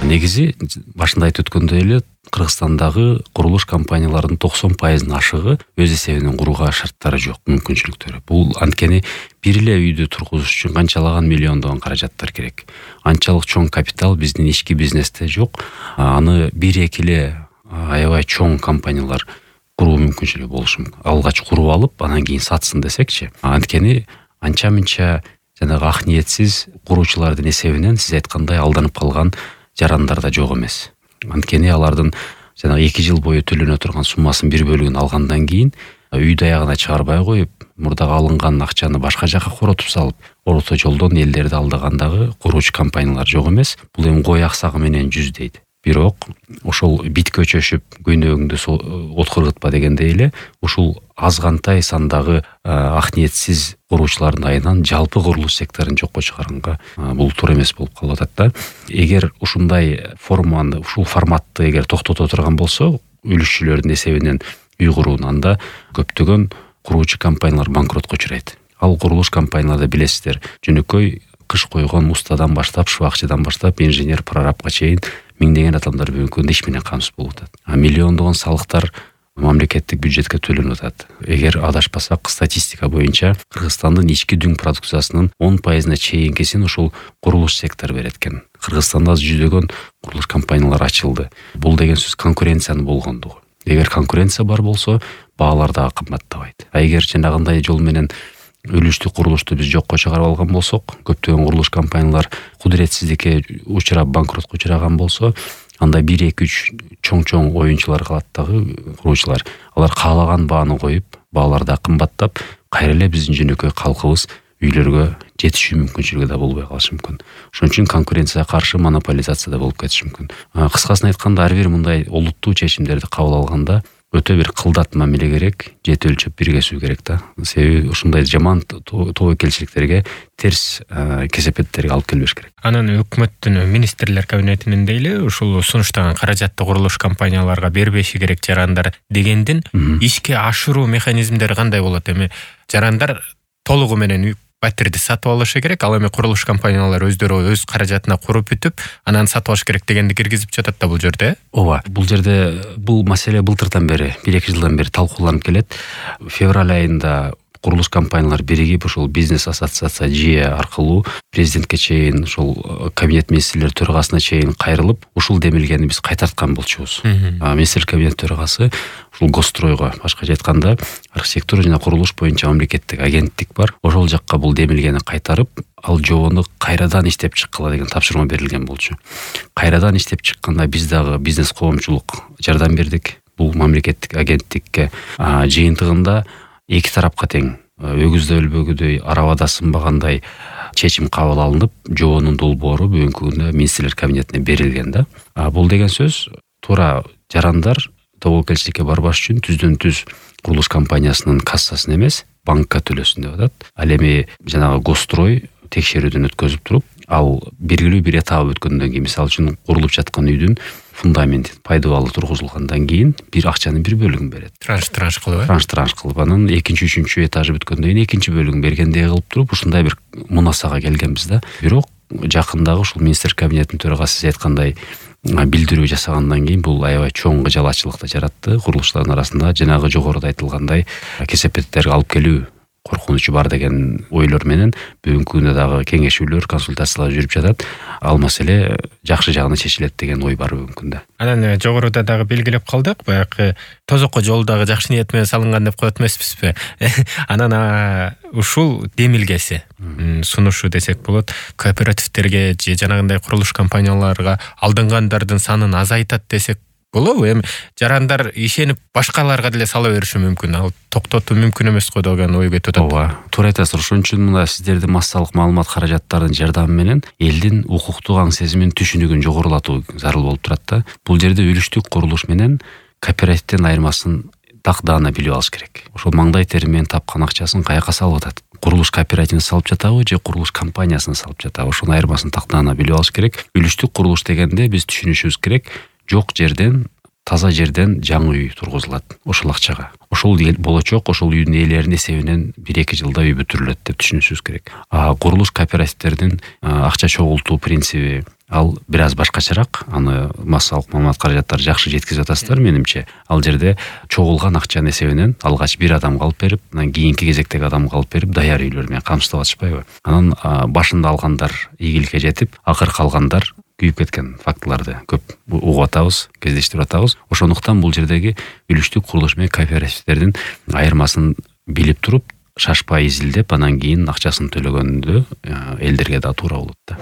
Негизи башында айтып өткөндөй эле Кыргызстандагы курулуш компанияларынын 90% ашыгы өз эсебинен курууга шарттары жок, мүмкүнчүлүктөрү. Бул анткени бир эле үйдү тургузуш үчүн канчалаган миллиондогон каражаттар керек. Анчалык чоң капитал биздин ички бизнесте жок. Аны бир-эки эле аябай чоң компаниялар куруу мүмкүнчүлүгү болушу мүмкүн. Алгач куруп алып, анан кийин сатсын десекчи. Анткени анча-мынча жанагы ак ниетсиз куруучулардын эсебинен сиз айткандай алданып калган жарандар да жок эмес. Анткени алардын жанагы 2 жыл бою төлөнө турган суммасынын бир бөлүгүн алгандан кийин үй даягына чыгарбай коюп, мурдагы алынган акчаны башка жака коротуп салып, орто жолдон элдерди алдагандагы куруучу компаниялар жок эмес. Бул эми кой аксагы менен жүз дейт. Бирок ошол биткө чөшүп көйнөгүңдү от кыргытпа дегендей эле ушул азгантай сандагы ак ниетсиз куруучулардын айынан жалпы курулуш секторун жокко чыгаранга бул туура эмес болуп калып атат да. Эгер ушундай форманы, ушул форматты эгер токтото турган болсо, үлүшчүлөрдүн эсебинен үй курууну, анда көптөгөн куруучу компаниялар банкротко учурайт. Ал курулуш компанияларда билесиздер, жөнөкөй кыш койгон устадан баштап, шыбакчыдан баштап, инженер, прорабка чейин миңдеген адамдар бүгүнкү күндө иш менен камсыз болуп атат. Миллиондогон салыктар мамлекеттик бюджетке төлөнүп атат. Эгер адашпасак, статистика боюнча Кыргызстандын ички дүң продукциясынын 10%-на чейинкисин ушул курулуш сектору берет экен. Кыргызстанда жүздөгөн курулуш компаниялар ачылды. Бул деген сөз конкуренциянын болгондугу. Эгер конкуренция бар болсо, баалар дагы кымбаттабайт. Эгер жанагындай жол менен үлүштүк курулушту биз жокко чыгарып алган болсок, көптөгөн курулуш компаниялар кудуретсиздикке учурап банкротко учураган болсо, анда 1-2-3 чоң оюнчулар калат дагы куруучулар. Алар каалаган бааны коюп, баалар да кымбаттап, кайра эле биздин жөнөкөй калкыбыз үйлөргө жетишүү мүмкүнчүлүгү да болбой калышы мүмкүн. Ошон үчүн конкуренцияга каршы монополизация да болуп кетиши мүмкүн. Кыскасын айтканда, ар бир мындай олуттуу чечимдерди кабыл алганда өтө бир кылдат мамиле керек, жет өлчөп бир кесүү керек да. Себеби ушундай жаман тобокелчиликтерге, терс кесепеттерге алып келбеш керек. Анан өкмөттүн министрлер кабинетинин дейли ушул сунуштаган каражатты курулуш компанияларга бербеши керек жарандар дегендин ишке ашыруу механизмдери кандай болот? Эми жарандар толугу менен батирди сатып алышы керек, ал эми курулуш компаниялар өздөрү өз каражатына куруп бүтүп, анан сатып алыш керек дегенди киргизип жатат да бул жерде. Ооба, бул жерде бул маселе былтырдан бери, 1-2 жылдан бери талкууланып келет. Февраль айында курулуш компаниялар биригип ушул бизнес ассоциация ЖИЭ аркылуу президентке чейин, ушул кабинет министрлер төрагасына чейин кайрылып, ушул демилгени биз кайтарткан болчубуз. Министрлер кабинет төрагасы ушул Госстройго, башкача айтканда, архитектура жана курулуш боюнча мамлекеттик агенттик бар. Ошол жакка бул демилгени кайтарып, ал жобону кайрадан иштеп чыккыла деген тапшырма берилген болчу. Кайрадан иштеп чыкканда биз дагы бизнес коомчулук жардам бердик. Бул мамлекеттик агенттикке жыйынтыгында эки тарапка тең, өгүздө өлбөгүдөй, арабада сынбагандай чечим кабыл алынып, жобонун долбоору бүгүнкү күндө министрлер кабинетине берилген да. Бул деген сөз туура жарандар тобокелчиликке барбаш үчүн түздөн-түз курулуш компаниясынын кассасына эмес, банкка төлөсүн деп атат. Ал эми жанагы Госстрой текшерүүдөн өткөзүп туруп, ал белгилүү бир этап өткөндөн кийин, мисалы үчүн курулуп жаткан үйдүн фундаменти пайдалуу тургузулгандан кийин бир акчанын бир бөлүгүн берет. Транш кылып, транш кылып, анан 2-3 этажы бүткөндөн кийин экинчи бөлүгүн бергендей кылып туруп, ушундай бир мунасага келгенбиз да. Бирок жакындагы ушул министр кабинетинин төрагасы сиз айткандай билдирүү жасагандан кийин бул аябай чоң кыжалачылыкты жаратты курулуштардын арасында. Жанагы жогоруда айтылгандай кесепеттерге алып келүү коркунучу бар деген ойлор менен бүгүнкү күндө дагы кеңешүүлөр, консультациялар жүрүп жатат. Ал маселе жакшы жагына чечилет деген ой бар бүгүнкү күндө. Анан жогоруда дагы белгилеп калдык, баягы тозокко жол дагы жакшы ниет менен салынган деп коет эмеспизби? Анан ушул демилгеси, сунушу десек болот, кооперативтерге же жанагындай курулуш компанияларга алдынгандардын санын азайтат десек болобу? Эми жарандар ишенип башкаларга деле сала бериши мүмкүн. Ал токтотуу мүмкүн эмес го деген ой кетип атат. Ооба, туура айтасыз. Ошон үчүн мына сиздердин массалык маалымат каражаттарынын жардамы менен элдин укуктук аң сезимин, түшүнүгүн жогорулатуу зарыл болуп турат да. Бул жерде үлүштүк курулуш менен кооперативдин айырмасын так-даана билип алыш керек. Ошол маңдай тери менен тапкан акчасын каяка салып атат? Курулуш кооперативин салып жатабы же курулуш компаниясын салып жатабы? Ошонун айырмасын так-даана билип алыш керек. Үлүштүк курулуш дегенде биз түшүнүшүбүз керек, жок жерден, таза жерден жаңы үй тургузулат ошол акчага. Ошол болочок, ошол үйдүн ээлеринин эсебинен 1-2 жылда үй бүтүрүлөт деп түшүнүшүбүз керек. Курулуш кооперативдердин акча чогултуу принциби, ал бир аз башкачараак, аны массалык маалымат каражаттары жакшы жеткизип атасыздар менимче. Ал жерде чогулган акчанын эсебинен алгач бир адамга алып берип, анан кийинки кезектеги адамга алып берип, даяр үйлөр менен камсыздап атышпайбы? Анан башында алгандар ийгиликке жетип, акыркы алгандар күйүп кеткен фактыларды көп угуп атабыз, кездештирип атабыз. Ошондуктан бул жердеги үлүштүк курулуш менен кооперативдердин айырмасын билип туруп, шашпай изилдеп, анан кийин акчасын төлөгөндө элдерге да туура болот да.